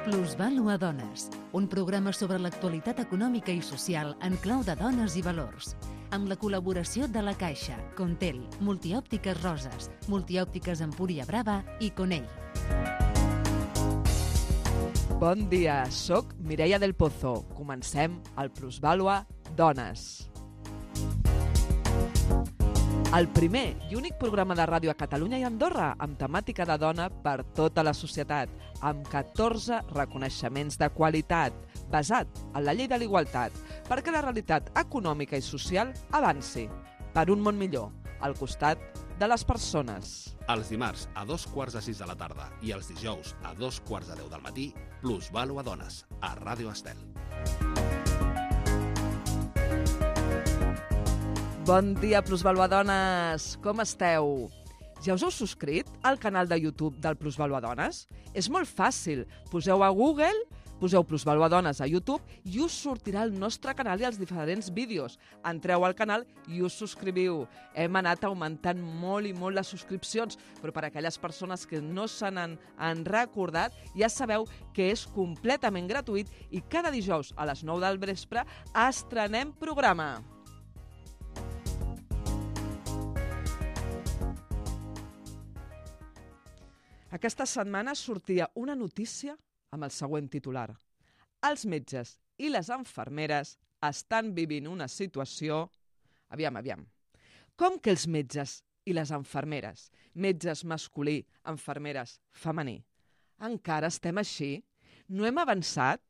Plusvàlua Dones, un programa sobre l'actualitat econòmica i social en clau de dones i valors, amb la col·laboració de La Caixa, Contel, Multiòptiques Roses, Multiòptiques Empúria Brava i Conell. Bon dia, soc Mireia del Pozo. Comencem el Plusvàlua Dones. El primer i únic programa de ràdio a Catalunya i Andorra amb temàtica de dona per tota la societat, amb 14 reconeixements de qualitat, basat en la llei de l'igualtat, perquè la realitat econòmica i social avanci per un món millor, al costat de les persones. Els dimarts a 2:45 de la tarda i els dijous a 2:45 del matí, Plusvàlua Dones, a Ràdio Estel. Bon dia, Plusvàlua Dones! Com esteu? Ja us heu subscrit al canal de YouTube del Plusvàlua Dones? És molt fàcil. Poseu a Google, poseu Plusvàlua Dones a YouTube i us sortirà el nostre canal i els diferents vídeos. Entreu al canal i us subscriviu. Hem anat augmentant molt i molt les subscripcions, però per a aquelles persones que no se n'han recordat, ja sabeu que és completament gratuït i cada dijous a les 9 del vespre estrenem programa. Aquesta setmana sortia una notícia amb el següent titular. Els metges i les infermeres estan vivint una situació... Aviam. Com que els metges i les infermeres, metges masculí, infermeres femení, encara estem així? No hem avançat?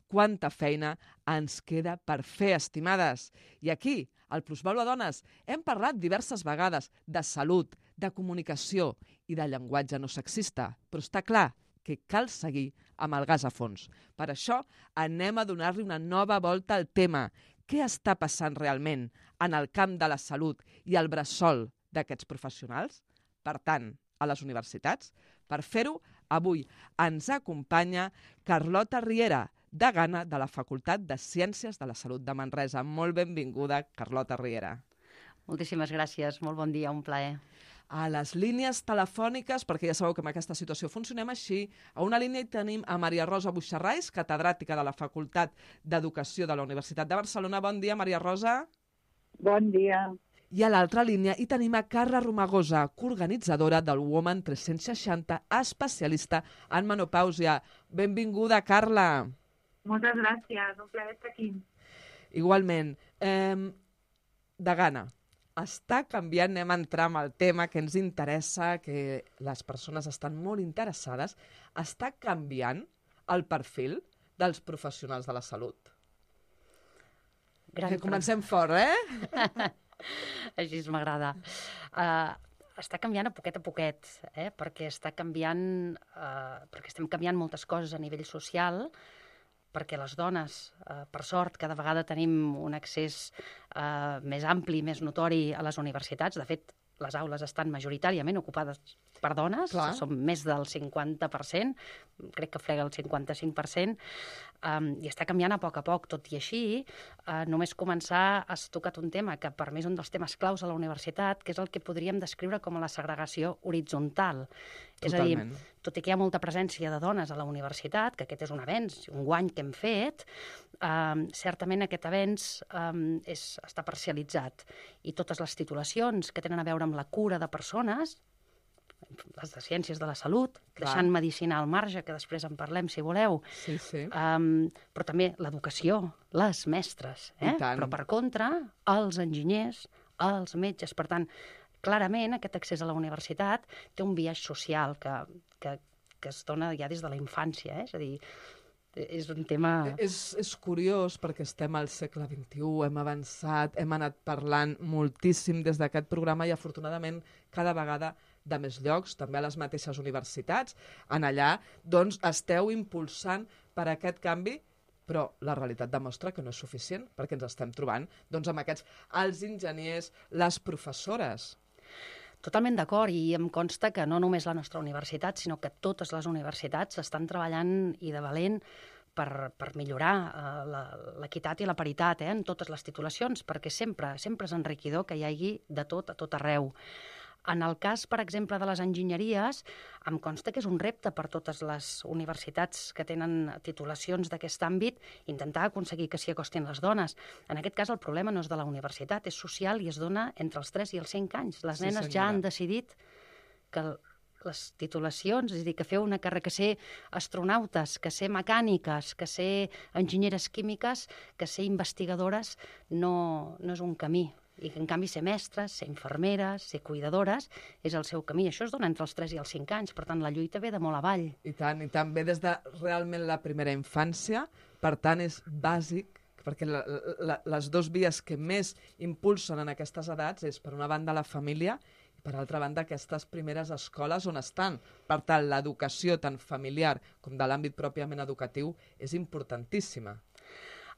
Quanta feina ens queda per fer, estimades? I aquí, al Plusvàlua Dones, hem parlat diverses vegades de salut, de comunicació i de llenguatge no sexista, però està clar que cal seguir amb el gas a fons. Per això anem a donar-li una nova volta al tema. Què està passant realment en el camp de la salut i el bressol d'aquests professionals? Per tant, a les universitats? Per fer-ho, avui ens acompanya Carlota Riera, degana de la Facultat de Ciències de la Salut de Manresa. Molt benvinguda, Carlota Riera. Moltíssimes gràcies, molt bon dia, un plaer. A les línies telefòniques, perquè ja sabeu que en aquesta situació funcionem així, a una línia hi tenim a Maria Rosa Buixarrais, catedràtica de la Facultat d'Educació de la Universitat de Barcelona. Bon dia, Maria Rosa. Bon dia. I a l'altra línia hi tenim a Carla Romagosa, coorganitzadora del Woman 360, especialista en menopàusia. Benvinguda, Carla. Moltes gràcies, un plaer estar aquí. Igualment. Degana, està canviant, anem a entrar amb el tema que ens interessa, que les persones estan molt interessades, està canviant el perfil dels professionals de la salut. Que comencem fort, Així m'agrada. Està canviant a poquet, perquè està canviant, perquè estem canviant moltes coses a nivell social, perquè les dones, per sort, cada vegada tenim un accés més ampli, més notori a les universitats. De fet, les aules estan majoritàriament ocupades per dones, som més del 50%, crec que frega el 55%, i està canviant a poc. Tot i així, només començar has tocat un tema que per mi és un dels temes claus a la universitat, que és el que podríem descriure com a la segregació horitzontal. Totalment. És a dir, tot i que hi ha molta presència de dones a la universitat, que aquest és un avenç, un guany que hem fet, certament aquest avenç està parcialitzat. I totes les titulacions que tenen a veure amb la cura de persones, les de Ciències de la Salut, deixant medicina al marge, que després en parlem si voleu, però també l'educació, les mestres, però per contra, els enginyers, els metges. Per tant, clarament aquest accés a la universitat té un biaix social que es dona ja des de la infància, és a dir, és un tema... És curiós perquè estem al segle XXI, hem avançat, hem anat parlant moltíssim des d'aquest programa i afortunadament cada vegada de més llocs, també a les mateixes universitats. En allà, doncs, esteu impulsant per aquest canvi, però la realitat demostra que no és suficient perquè ens estem trobant doncs, amb aquests els enginyers, les professores. Totalment d'acord, i em consta que no només la nostra universitat, sinó que totes les universitats estan treballant i de valent per millorar l'equitat i la paritat en totes les titulacions, perquè sempre és enriquidor que hi hagi de tot a tot arreu. En el cas, per exemple, de les enginyeries, em consta que és un repte per totes les universitats que tenen titulacions d'aquest àmbit intentar aconseguir que s'hi acostin les dones. En aquest cas, el problema no és de la universitat, és social i es dona entre els 3 i els 5 anys. Les nenes ja han decidit que les titulacions, és a dir, que fer una carrera, que ser astronautes, que ser mecàniques, que ser enginyeres químiques, que ser investigadores, no és un camí. I que, en canvi, ser mestres, ser infermeres, ser cuidadores, és el seu camí. Això es dona entre els 3 i els 5 anys, per tant, la lluita ve de molt avall. I tant, ve des de realment la primera infància, per tant, és bàsic, perquè les dues vies que més impulsen en aquestes edats és, per una banda, la família, i per altra banda, aquestes primeres escoles on estan. Per tant, l'educació tant familiar com de l'àmbit pròpiament educatiu és importantíssima.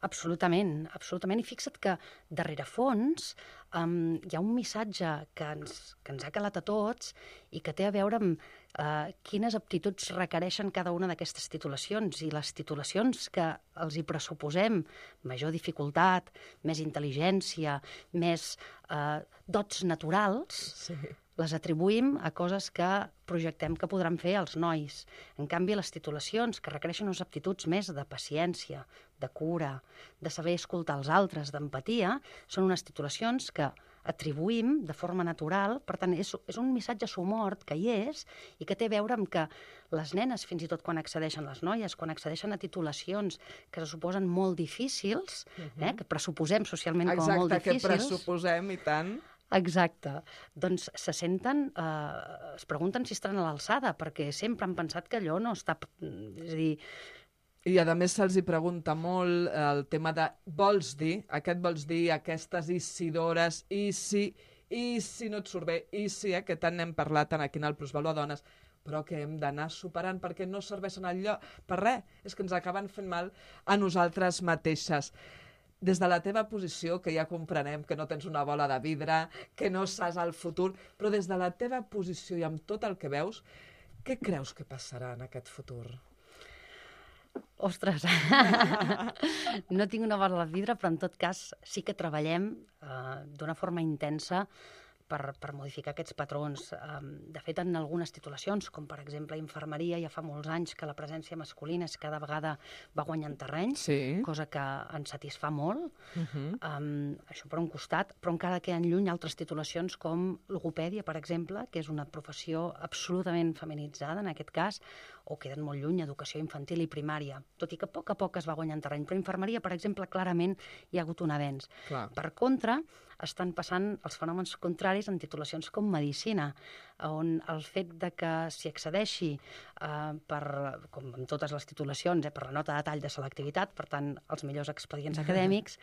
Absolutament, absolutament. I fixa't que darrere fons hi ha un missatge que ens ha calat a tots i que té a veure amb quines aptituds requereixen cada una d'aquestes titulacions. I les titulacions que els hi pressuposem major dificultat, més intel·ligència, més dots naturals, sí, les atribuïm a coses que projectem que podran fer els nois. En canvi, les titulacions que requereixen unes aptituds més de paciència, de cura, de saber escoltar els altres, d'empatia, són unes titulacions que atribuïm de forma natural. Per tant, és un missatge somort que hi és i que té a veure amb que les nenes, fins i tot quan accedeixen, les noies, quan accedeixen a titulacions que se suposen molt difícils, que pressuposem socialment com a molt difícils... Exacte, que pressuposem, i tant... Exacte. Doncs se senten, es pregunten si estaran a l'alçada, perquè sempre han pensat que allò no està... És a dir... I a més se'ls hi pregunta molt el tema de vols dir, aquestes i si d'hores, i si no et surt bé, i si, que tant n'hem parlat aquí en el Plusvàlua Dones, però que hem d'anar superant perquè no serveixen per res, és que ens acaben fent mal a nosaltres mateixes. Des de la teva posició, que ja comprenem que no tens una bola de vidre, que no saps el futur, però des de la teva posició i amb tot el que veus, què creus que passarà en aquest futur? Ostres, no tinc una bola de vidre, però en tot cas sí que treballem d'una forma intensa per modificar aquests patrons. De fet, en algunes titulacions, com per exemple infermeria, ja fa molts anys que la presència masculina cada vegada va guanyant terreny, sí, cosa que ens satisfà molt. Això per un costat, però encara queden lluny altres titulacions com logopèdia, per exemple, que és una professió absolutament feminitzada en aquest cas, o queden molt lluny educació infantil i primària, tot i que a poc es va guanyant terreny. Però infermeria, per exemple, clarament hi ha hagut un avenç. Clar. Per contra, estan passant els fenòmens contraris en titulacions com medicina, on el fet de que s'hi accedeixi com en totes les titulacions, per la nota de tall de selectivitat, per tant, els millors expedients acadèmics,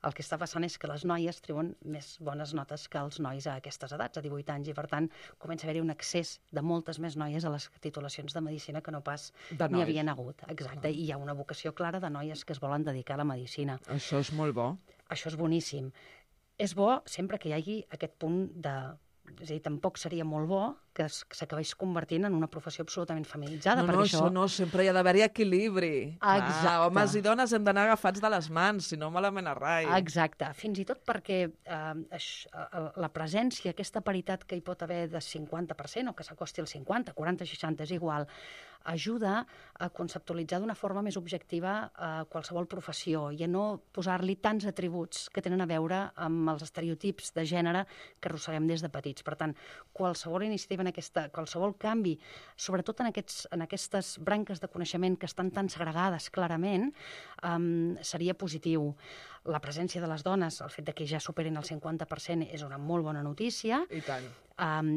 el que està passant és que les noies treuen més bones notes que els nois a aquestes edats, a 18 anys, i per tant comença a haver-hi un accés de moltes més noies a les titulacions de medicina que no pas n'hi havien hagut. Exacte, i hi ha una vocació clara de noies que es volen dedicar a la medicina. Això és molt bo. Això és boníssim. És bo sempre que hi hagi aquest punt de... És a dir, tampoc seria molt bo que s'acabés convertint en una professió absolutament feminitzada. No, això no, sempre hi ha d'haver-hi equilibri. Exacte. Homes i dones hem d'anar agafats de les mans, si no malament a rai. Exacte, fins i tot perquè la presència, aquesta paritat que hi pot haver de 50%, o que s'acosti al 50, 40, 60, és igual, ajuda a conceptualitzar d'una forma més objectiva qualsevol professió i a no posar-li tants atributs que tenen a veure amb els estereotips de gènere que arrosseguem des de petits. Per tant, qualsevol iniciativa qualsevol canvi, sobretot en aquestes branques de coneixement que estan tan segregades clarament, seria positiu. La presència de les dones, el fet de que ja superin el 50%, és una molt bona notícia. I tant.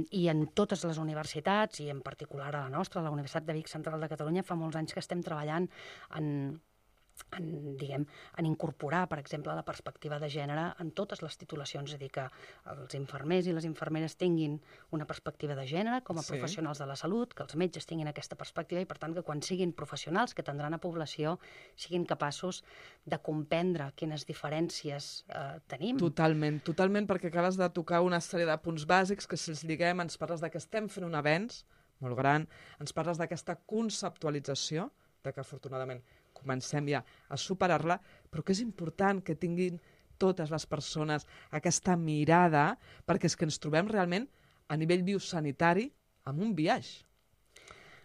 I en totes les universitats, i en particular a la nostra, a la Universitat de Vic Central de Catalunya, fa molts anys que estem treballant en incorporar, per exemple, la perspectiva de gènere en totes les titulacions, és a dir, que els infermers i les infermeres tinguin una perspectiva de gènere com a professionals de la salut, que els metges tinguin aquesta perspectiva i, per tant, que quan siguin professionals que atendran a població siguin capaços de comprendre quines diferències tenim. Totalment, perquè acabes de tocar una sèrie de punts bàsics que, si els lliguem, ens parles de que estem fent un avenç molt gran, ens parles d'aquesta conceptualització, de que afortunadament comencem ja a superar-la, però que és important que tinguin totes les persones aquesta mirada, perquè és que ens trobem realment a nivell biosanitari amb un biaix.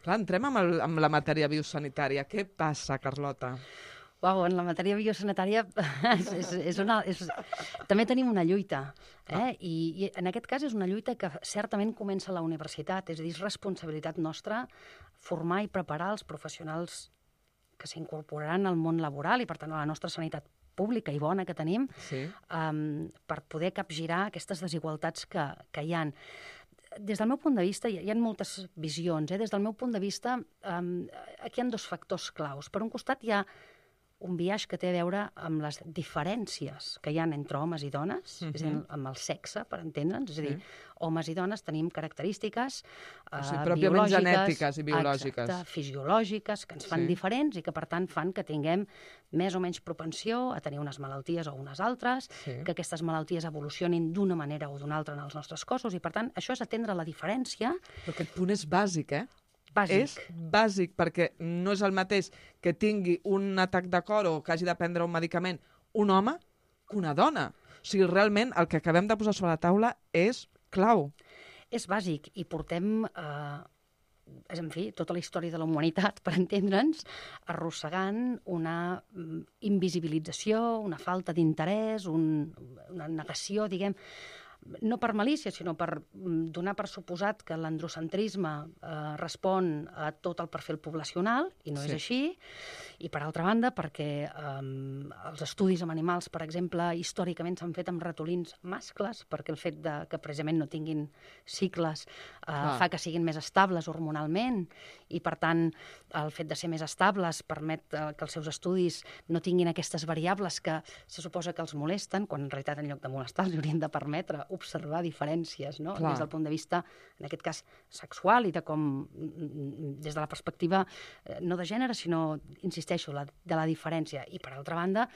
Clar, entrem amb la matèria biosanitària. Què passa, Carlota? Uau, en la matèria biosanitària també tenim una lluita. I en aquest cas és una lluita que certament comença a la universitat, és a dir, és responsabilitat nostra formar i preparar els professionals que s'incorporaran al món laboral i, per tant, a la nostra sanitat pública i bona que tenim, per poder capgirar aquestes desigualtats que hi ha. Des del meu punt de vista, hi ha moltes visions. Des del meu punt de vista, aquí hi ha dos factors claus. Per un costat, hi ha un biaix que té a veure amb les diferències que hi ha entre homes i dones, és a dir, amb el sexe, per entendre'ns. És a dir, homes i dones tenim característiques pròpiament genètiques i biològiques. Exacte, fisiològiques, que ens fan diferents i que, per tant, fan que tinguem més o menys propensió a tenir unes malalties o unes altres, que aquestes malalties evolucionin d'una manera o d'una altra en els nostres cossos, i, per tant, això és atendre la diferència. Però aquest punt és bàsic, Bàsic. És bàsic, perquè no és el mateix que tingui un atac de cor o que hagi de prendre un medicament un home que una dona. O sigui, realment, el que acabem de posar sobre la taula és clau. És bàsic i portem, en fi, tota la història de la humanitat, per entendre'ns, arrossegant una invisibilització, una falta d'interès, una negació, diguem, no per malícia, sinó per donar per suposat que l'androcentrisme respon a tot el perfil poblacional, i no és així, i per altra banda perquè els estudis amb animals, per exemple, històricament s'han fet amb ratolins mascles, perquè el fet que precisament no tinguin cicles fa que siguin més estables hormonalment, i per tant el fet de ser més estables permet que els seus estudis no tinguin aquestes variables que se suposa que els molesten, quan en realitat en lloc de molestar els haurien de permetre observar diferències, no? Des del punt de vista, en aquest cas, sexual i de com, des de la perspectiva no de gènere, sinó, insisteixo, de la diferència. I per altra banda,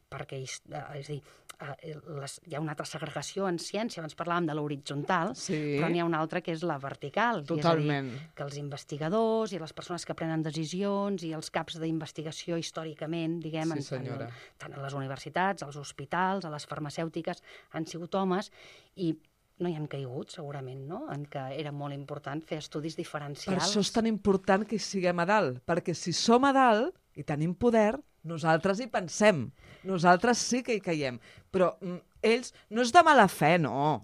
perquè és a dir, hi ha una altra segregació en ciència, abans parlàvem de l'horitzontal, però n'hi ha una altra que és la vertical. Totalment. És a dir, que els investigadors i les persones que prenen decisions i els caps d'investigació històricament, diguem, tant a les universitats, als hospitals, a les farmacèutiques, han sigut homes i no hi han caigut, segurament, no? En què era molt important fer estudis diferencials. Per això és tan important que hi siguem a dalt, perquè si som a dalt i tenim poder, nosaltres hi pensem. Nosaltres sí que hi caiem. Però ells, no és de mala fe, no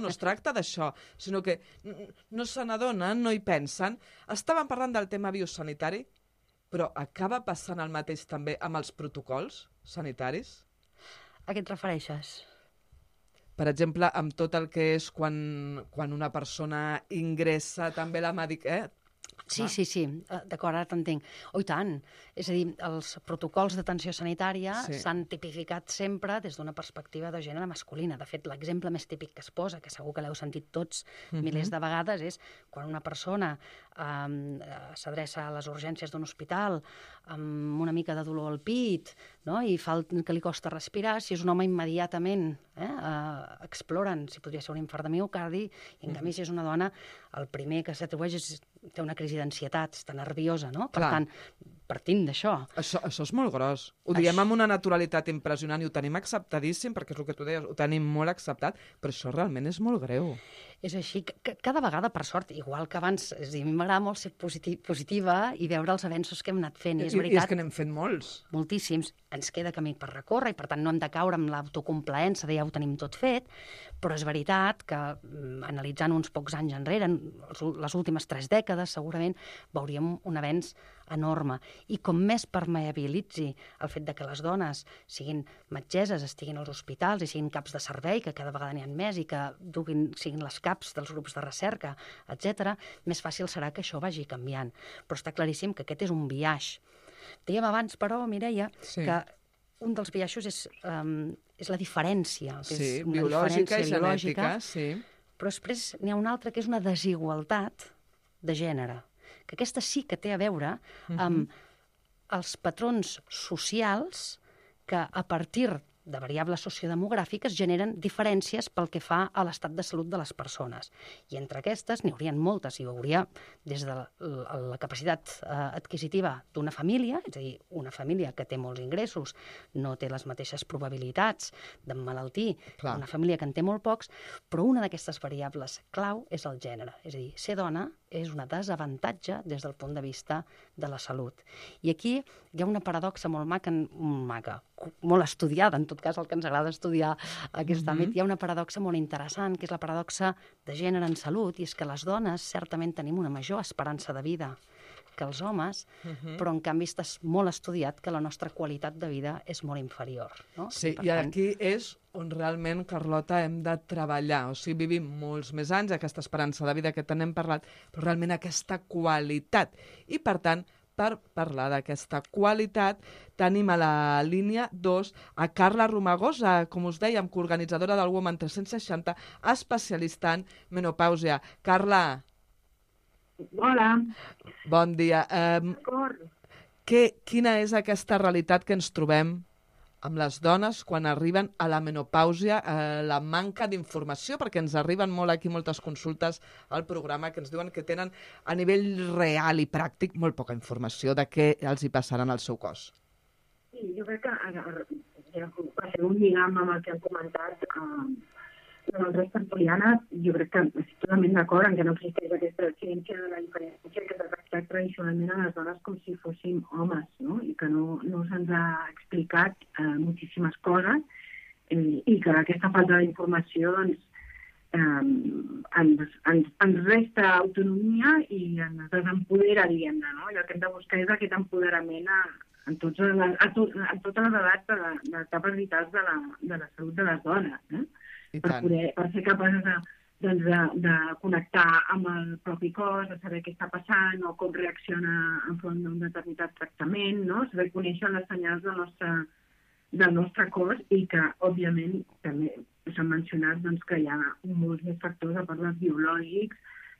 es tracta d'això, sinó que no se n'adonen, no hi pensen. Estàvem parlant del tema biosanitari, però acaba passant el mateix també amb els protocols sanitaris? A què et refereixes? Per exemple, amb tot el que és quan una persona ingressa també la medicació... Sí, d'acord, ara t'entenc. Oh, i tant. És a dir, els protocols d'atenció sanitària s'han tipificat sempre des d'una perspectiva de gènere masculina. De fet, l'exemple més típic que es posa, que segur que l'heu sentit tots milers de vegades, és quan una persona s'adreça a les urgències d'un hospital amb una mica de dolor al pit, no? I fa que li costa respirar, si és un home immediatament exploren si podria ser un infart de miocardi, i en canvi si és una dona el primer que s'atribueix és té una crisi d'ansietat, està nerviosa, no? Per tant, partint d'això. Això és molt gros. Ho diem amb una naturalitat impressionant i ho tenim acceptadíssim, perquè és el que tu deies, ho tenim molt acceptat, però això realment és molt greu. És així, cada vegada, per sort, igual que abans, a mi m'agrada molt ser positiva i veure els avenços que hem anat fent. I és que n'hem fet molts. Moltíssims. Ens queda camí per recórrer i, per tant, no hem de caure amb l'autocomplaença de ja ho tenim tot fet, però és veritat que, analitzant uns pocs anys enrere, les últimes 3 dècades, segurament, veuríem un avenç enorme. I com més permeabilitzi el fet de que les dones siguin metgesses, estiguin als hospitals i siguin caps de servei, que cada vegada n'hi ha més, i que siguin les caps dels grups de recerca, etc., més fàcil serà que això vagi canviant. Però està claríssim que aquest és un biaix. Dèiem abans, però, Mireia, que un dels biaixos és la diferència. Sí, biològica i genètica, sí. Però després n'hi ha una altra que és una desigualtat de gènere, que aquesta sí que té a veure amb els patrons socials que a partir de variables sociodemogràfiques generen diferències pel que fa a l'estat de salut de les persones. I entre aquestes n'hi haurien moltes. Hi hauria des de la capacitat adquisitiva d'una família, és a dir, una família que té molts ingressos no té les mateixes probabilitats d'emmalaltir que una família que en té molt pocs, però una d'aquestes variables clau és el gènere. És a dir, ser dona és un desavantatge des del punt de vista de la salut. I aquí hi ha una paradoxa molt maca, molt estudiada, en tot cas el que ens agrada estudiar aquest àmbit. Hi ha una paradoxa molt interessant, que és la paradoxa de gènere en salut, i és que les dones certament tenim una major esperança de vida que els homes, però en canvi està molt estudiat que la nostra qualitat de vida és molt inferior. No? Sí, i aquí és on realment, Carlota, hem de treballar. O sigui, vivim molts més anys, aquesta esperança de vida que te n'hem parlat, però realment aquesta qualitat. I, per tant, per parlar d'aquesta qualitat, tenim a la línia 2 a Carla Romagosa, com us dèiem, coorganitzadora del Women 360, especialista en menopàusia. Carla, hola. Bon dia. D'acord. Quina és aquesta realitat que ens trobem amb les dones quan arriben a la menopàusia, la manca d'informació, perquè ens arriben molt aquí moltes consultes al programa que ens diuen que tenen a nivell real i pràctic molt poca informació de què els hi passaran al seu cos. Sí, jo crec que va ser un lligam amb el que han comentat nosaltres tertulianes. Jo crec que estic totalment d'acord en que no existeix aquesta ciència de la diferència que s'ha tractat tradicionalment a les dones com si fóssim homes, no? I que no se'ns ha explicat moltíssimes coses i que aquesta falta d'informació ens resta autonomia i ens desempodera, diguem-ne, no? I el que hem de buscar és aquest empoderament a totes les edats de etapes vitals de la salut de les dones, per ser capaces de connectar amb el propi cos, de saber què està passant o com reacciona enfront d'un determinat tractament, no? Saber conèixer les senyals del nostre cos i que, òbviament, també s'han mencionat que hi ha molts més factors a part dels biològics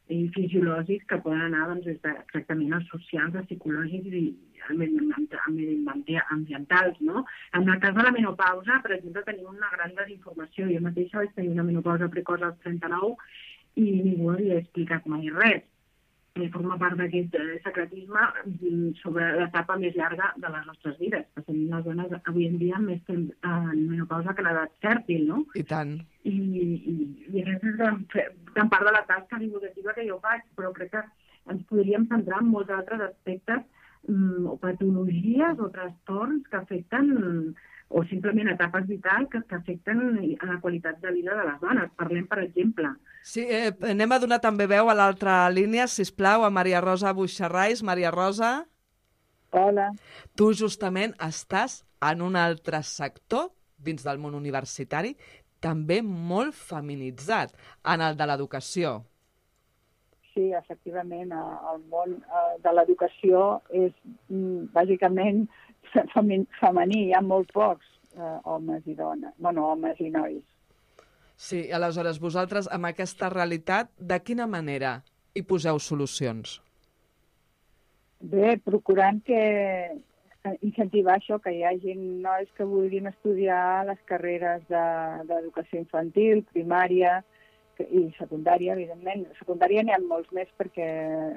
i fisiològics que poden anar des de tractaments socials, psicològics i ambientals, no? En el cas de la menopausa, per exemple, tenim una gran desinformació. Jo mateixa vaig tenir una menopausa precoç als 39 i ningú havia explicat mai res. Forma part d'aquest secretisme sobre l'etapa més llarga de les nostres vides. Tenim les dones avui en dia més temps en menopausa que l'edat fèrtil, no? I tant. I aquesta és gran part de la tasca divulgativa que jo faig, però crec que ens podríem centrar en molts altres aspectes o patologies o trastorns que afecten o simplement etapes vitals que afecten a la qualitat de vida de les dones. Parlem, per exemple... Sí, anem a donar també veu a l'altra línia, sisplau, a Maria Rosa Buixarrais. Maria Rosa. Hola. Tu justament estàs en un altre sector dins del món universitari, també molt feminitzat, en el de l'educació. Sí, efectivament, el món de l'educació és bàsicament femení, hi ha molt pocs homes i dones, homes i nois. Sí, aleshores, vosaltres, amb aquesta realitat, de quina manera hi poseu solucions? Bé, procurant incentivar això, que hi hagi nois que vulguin estudiar les carreres d'educació infantil, primària i secundària, evidentment. A secundària n'hi ha molts més perquè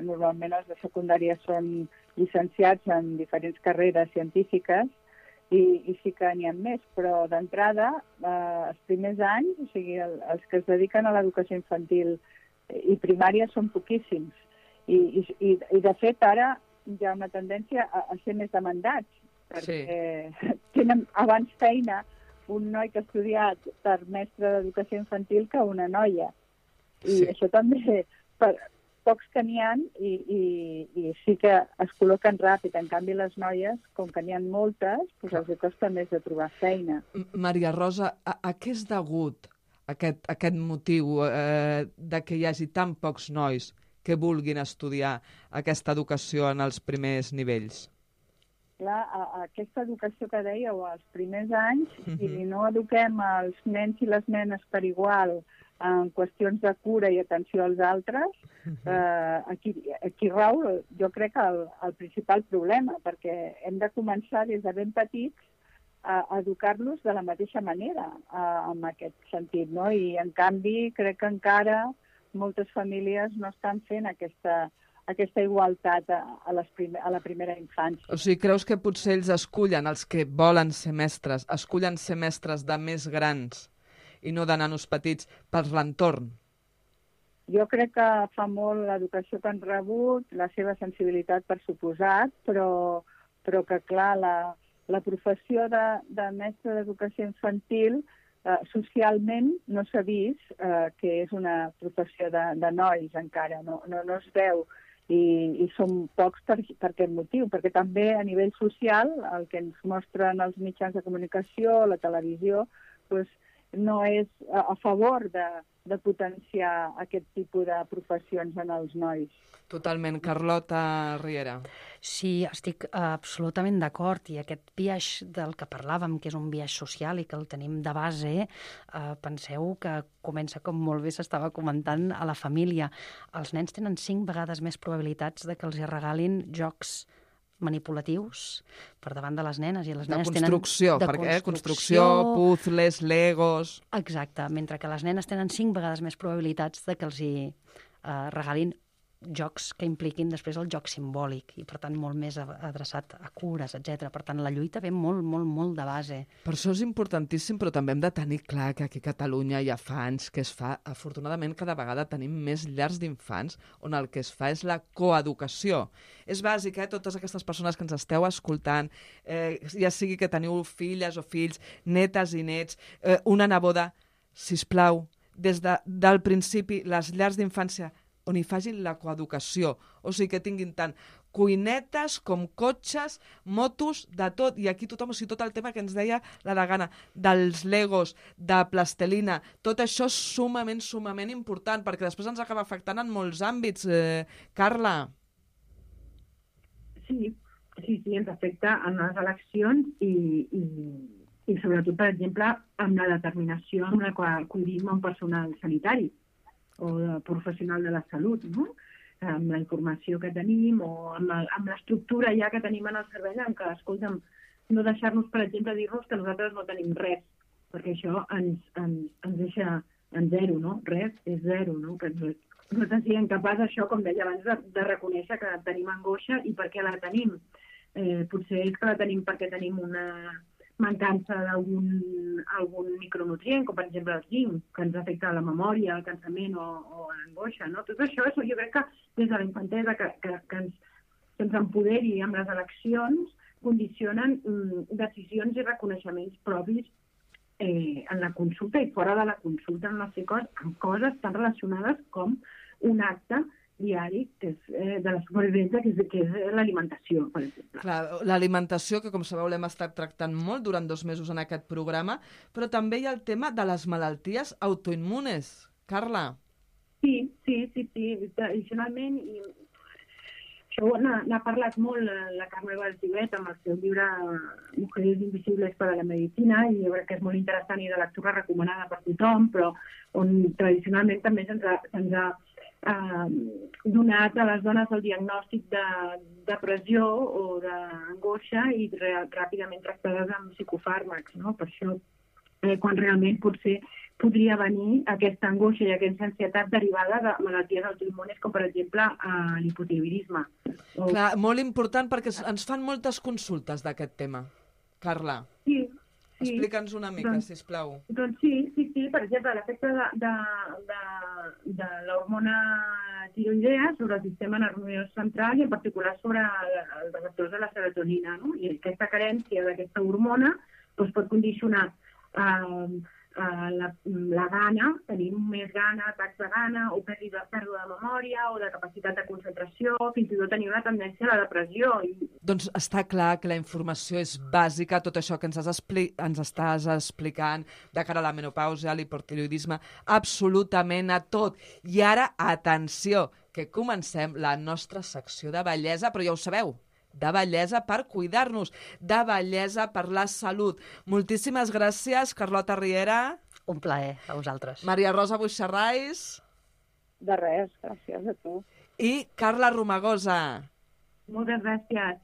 normalment els de secundària són llicenciats en diferents carreres científiques i sí que n'hi ha més, però d'entrada, els primers anys, o sigui, els que es dediquen a l'educació infantil i primària són poquíssims. I de fet, ara hi ha una tendència a ser més demandats, perquè tenen abans feina un noi que ha estudiat per mestre d'educació infantil que una noia. I això també, pocs que n'hi ha i sí que es col·loquen ràpid. En canvi, les noies, com que n'hi ha moltes, doncs els costa més de trobar feina. Maria Rosa, a què és degut aquest motiu de que hi hagi tan pocs nois que vulguin estudiar aquesta educació en els primers nivells? Clar, aquesta educació que dèieu, als primers anys, si no eduquem els nens i les nenes per igual en qüestions de cura i atenció als altres, aquí rau, jo crec, el principal problema, perquè hem de començar des de ben petits educar-los de la mateixa manera en aquest sentit, no? I en canvi crec que encara moltes famílies no estan fent aquesta igualtat a la primera infància. O sigui, creus que potser ells escullen, els que volen ser mestres, escullen ser mestres de més grans i no de nanos petits per l'entorn? Jo crec que fa molt l'educació que han rebut, la seva sensibilitat per suposat, però que, clar, la professió de mestre d'educació infantil socialment no s'ha vist que és una professió de nois encara, no es veu. I som pocs per aquest motiu, perquè també a nivell social, el que ens mostren els mitjans de comunicació, la televisió, doncs no és a favor de potenciar aquest tipus de professions en els nois. Totalment. Carlota Riera. Sí, estic absolutament d'acord, i aquest biaix del que parlàvem, que és un biaix social i que el tenim de base, penseu que comença, com molt bé s'estava comentant, a la família. Els nens tenen 5 vegades més probabilitats de que els regalin jocs manipulatius per davant de les nenes, i les nenes tenen... Construcció, puzzles, legos... Exacte, mentre que les nenes tenen 5 vegades més probabilitats de que els hi regalin jocs que impliquin després el joc simbòlic, i per tant molt més adreçat a cures, etc. Per tant, la lluita ve molt, molt, molt de base. Per això és importantíssim, però també hem de tenir clar que aquí a Catalunya ja fa anys que es fa, afortunadament cada vegada tenim més llars d'infants on el que es fa és la coeducació. És bàsic, totes aquestes persones que ens esteu escoltant, ja sigui que teniu filles o fills, netes i nets, una neboda, sisplau, des del principi, les llars d'infància on hi facin la coeducació, o sigui que tinguin tant cuinetes com cotxes, motos, de tot, i aquí tothom, o sigui, tot el tema que ens deia la Degana, dels legos, de plastelina, tot això és sumament important, perquè després ens acaba afectant en molts àmbits. Carla? Sí, ens afecta en les eleccions i sobretot, per exemple, amb la determinació amb la qual acudim a un personal sanitari o de professional de la salut, no? Amb la informació que tenim o amb l'estructura ja que tenim en el servei, en què, escolta'm, no deixar-nos, per exemple, dir-nos que nosaltres no tenim res, perquè això ens deixa en zero, no? Res és zero, no? Que nosaltres siguem capaços, això, com deia abans, de reconèixer que tenim angoixa i per què la tenim. Potser és que la tenim perquè tenim una mancança d'algun micronutrient, com per exemple el zinc, que ens afecta la memòria, el cansament o l'angoixa, no? Tot això, jo crec que des de la infantesa que ens empoderi amb les eleccions condicionen decisions i reconeixements propis en la consulta i fora de la consulta, en amb coses tan relacionades com un acte diari que és de la supervivència, que és l'alimentació, per exemple. Clar, l'alimentació, que com sabeu l'hem estat tractant molt durant 2 mesos en aquest programa, però també hi ha el tema de les malalties autoimmunes. Carla? Sí, tradicionalment, i això n'ha parlat molt la Carme Baltivet amb el seu llibre Mujeres invisibles para la medicina, i jo crec que és molt interessant i de lectura recomanada per tothom, però on tradicionalment també se'ns ha donat a les dones el diagnòstic de depressió o d'angoixa i ràpidament tractades amb psicofàrmacs, no? Per això, quan realment potser podria venir aquesta angoixa i aquesta ansietat derivada de malalties autoimmunes, com per exemple l'hipotiroïdisme. Clar, molt important, perquè ens fan moltes consultes d'aquest tema. Carla? Sí. Explica'ns una mica, sisplau. Doncs sí, per exemple, l'efecte de l'hormona tiroidea sobre el sistema nerviós central i en particular sobre els receptors de la serotonina, no? I aquesta carència d'aquesta hormona doncs, pot condicionar la gana, tenim més gana, atacs de gana, o pèrdua de memòria, o de capacitat de concentració, fins i tot tenir una tendència a la depressió. Doncs està clar que la informació és bàsica, tot això que ens estàs explicant de cara a la menopausa, a l'hipotiroïdisme, absolutament a tot. I ara, atenció, que comencem la nostra secció de bellesa, però ja ho sabeu, de bellesa per cuidar-nos, de bellesa per la salut. Moltíssimes gràcies, Carlota Riera. Un plaer, a vosaltres. Maria Rosa Buixarrais. De res, gràcies a tu. I Carla Romagosa. Moltes gràcies.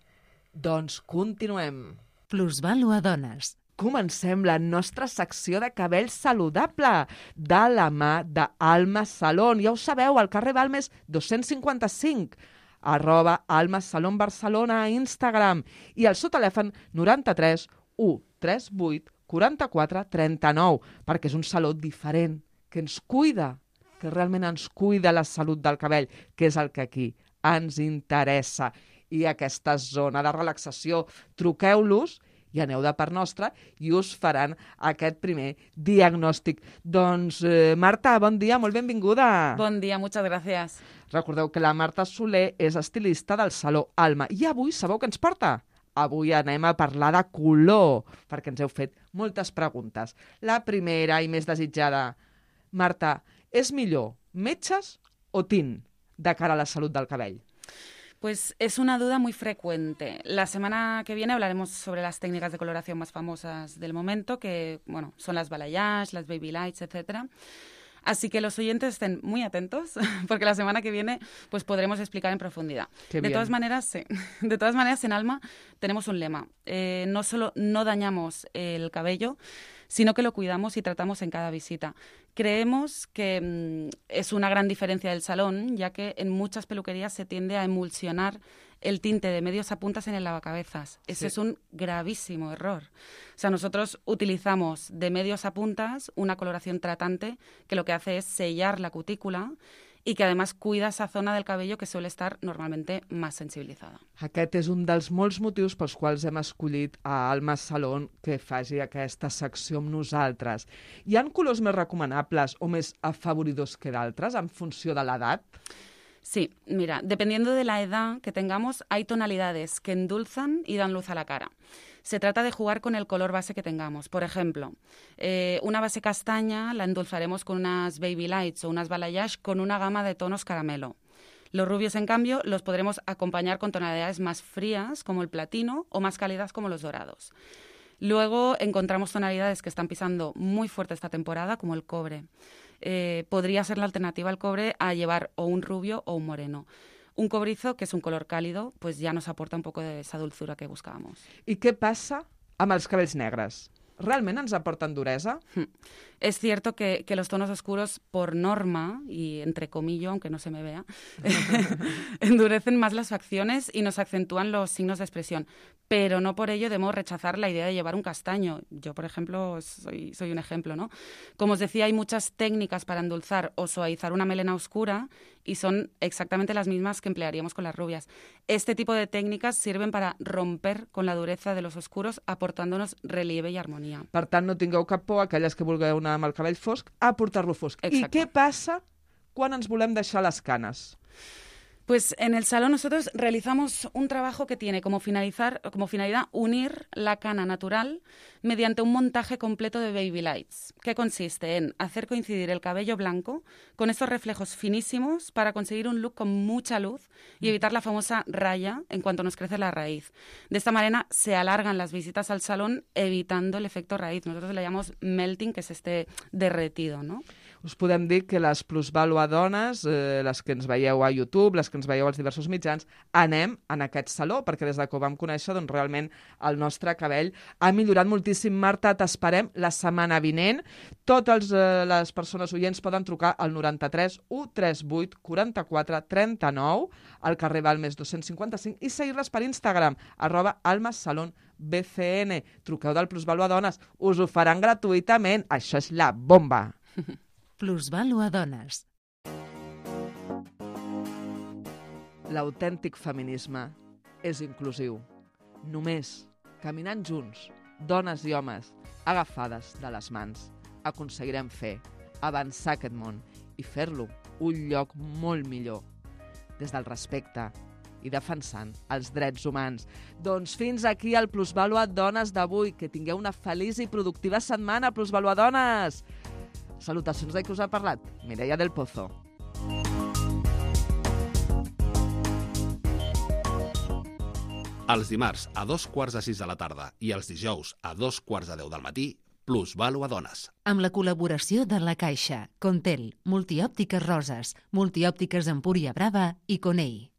Doncs continuem. Plusvàlua Dones. comencem la nostra secció de cabell saludable de la mà d'Alma Salon. Ja ho sabeu, al carrer Balmes 255, @Alma Salon Barcelona a Instagram, i al seu telèfon 93 138 44 39, perquè és un saló diferent, que ens cuida, que realment ens cuida la salut del cabell, que és el que aquí ens interessa. I aquesta zona de relaxació, truqueu-los i aneu de part nostra i us faran aquest primer diagnòstic. Doncs, Marta, bon dia, molt benvinguda. Bon dia, muchas gracias. Recordeu que la Marta Soler és estilista del Saló Alma. I avui sabeu què ens porta? Avui anem a parlar de color, perquè ens heu fet moltes preguntes. La primera i més desitjada. Marta, és millor metges o tint de cara a la salut del cabell? Pues es una duda muy frecuente. La semana que viene hablaremos sobre las técnicas de coloración más famosas del momento, que bueno, son las balayage, las baby lights, etcétera. Así que los oyentes estén muy atentos, porque la semana que viene pues podremos explicar en profundidad. De todas maneras, sí. De todas maneras, en Alma tenemos un lema. No solo no dañamos el cabello, sino que lo cuidamos y tratamos en cada visita. Creemos que es una gran diferencia del salón, ya que en muchas peluquerías se tiende a emulsionar el tinte de medios a puntas en el lavacabezas. Ese es un gravísimo error. O sea, nosotros utilizamos de medios a puntas una coloración tratante que lo que hace es sellar la cutícula i que, a més, cuida esa zona del cabello que suele estar normalmente más sensibilitzada. Aquest és un dels molts motius pels quals hem escollit a Alma Salon que faci aquesta secció amb nosaltres. Hi ha colors més recomanables o més afavoridors que d'altres en funció de l'edat? Sí, mira, dependiendo de la edad que tengamos, hay tonalidades que endulzan y dan luz a la cara. Se trata de jugar con el color base que tengamos. Por ejemplo, una base castaña la endulzaremos con unas baby lights o unas balayage con una gama de tonos caramelo. Los rubios, en cambio, los podremos acompañar con tonalidades más frías, como el platino, o más cálidas, como los dorados. Luego encontramos tonalidades que están pisando muy fuerte esta temporada, como el cobre. Podría ser la alternativa al cobre a llevar o un rubio o un moreno. Un cobrizo, que és un color càlido, pues ja nos aporta un poco de esa dulzura que buscábamos. I què passa amb els cabells negres? ¿Realment ens aporten duresa? Es cierto que los tonos oscuros, por norma, y entre comillas, aunque no se me vea, endurecen más las facciones y nos acentúan los signos de expresión. Pero no por ello debemos rechazar la idea de llevar un castaño. Yo, por ejemplo, soy un ejemplo, ¿no? Como os decía, hay muchas técnicas para endulzar o suavizar una melena oscura y son exactamente las mismas que emplearíamos con las rubias. Este tipo de técnicas sirven para romper con la dureza de los oscuros, aportándonos relieve y armonía. Per tant, no tingueu cap por, aquelles que vulgueu anar amb el cabell fosc, a portar-lo fosc. Exacte. I què passa quan ens volem deixar les canes? Pues en el salón nosotros realizamos un trabajo que tiene como finalidad unir la cana natural mediante un montaje completo de baby lights, que consiste en hacer coincidir el cabello blanco con estos reflejos finísimos para conseguir un look con mucha luz y evitar la famosa raya en cuanto nos crece la raíz. De esta manera se alargan las visitas al salón evitando el efecto raíz. Nosotros le llamamos melting, que es este derretido, ¿no? Us podem dir que les plusvaluadones, les que ens veieu a YouTube, les que ens veieu als diversos mitjans, anem en aquest saló, perquè des que ho vam conèixer, doncs realment el nostre cabell ha millorat moltíssim. Marta, t'esperem la setmana vinent. Totes les persones oients poden trucar al 93 138 44 39 al carrer Balmes 255 i seguir-les per Instagram, @almasalonbcn. Truqueu del Plusvaluadones, us ho faran gratuïtament. Això és la bomba! Plusvaluadones. L'autèntic feminisme és inclusiu. Només caminant junts, dones i homes, agafades de les mans, aconseguirem fer avançar aquest món i fer-lo un lloc molt millor, des del respecte i defensant els drets humans. Doncs fins aquí el Plusvaluadones d'avui. Que tingueu una feliç i productiva setmana, Plusvaluadones! Salutacions de qui us ha parlat, Mireia del Pozo. Els dimarts a 2:45 de la tarda i els dijous a 2:10 del matí, Plusvaluadones. Amb la col·laboració de La Caixa, Contel, Multiòptiques Roses, Multiòptiques Empúria Brava i Conei.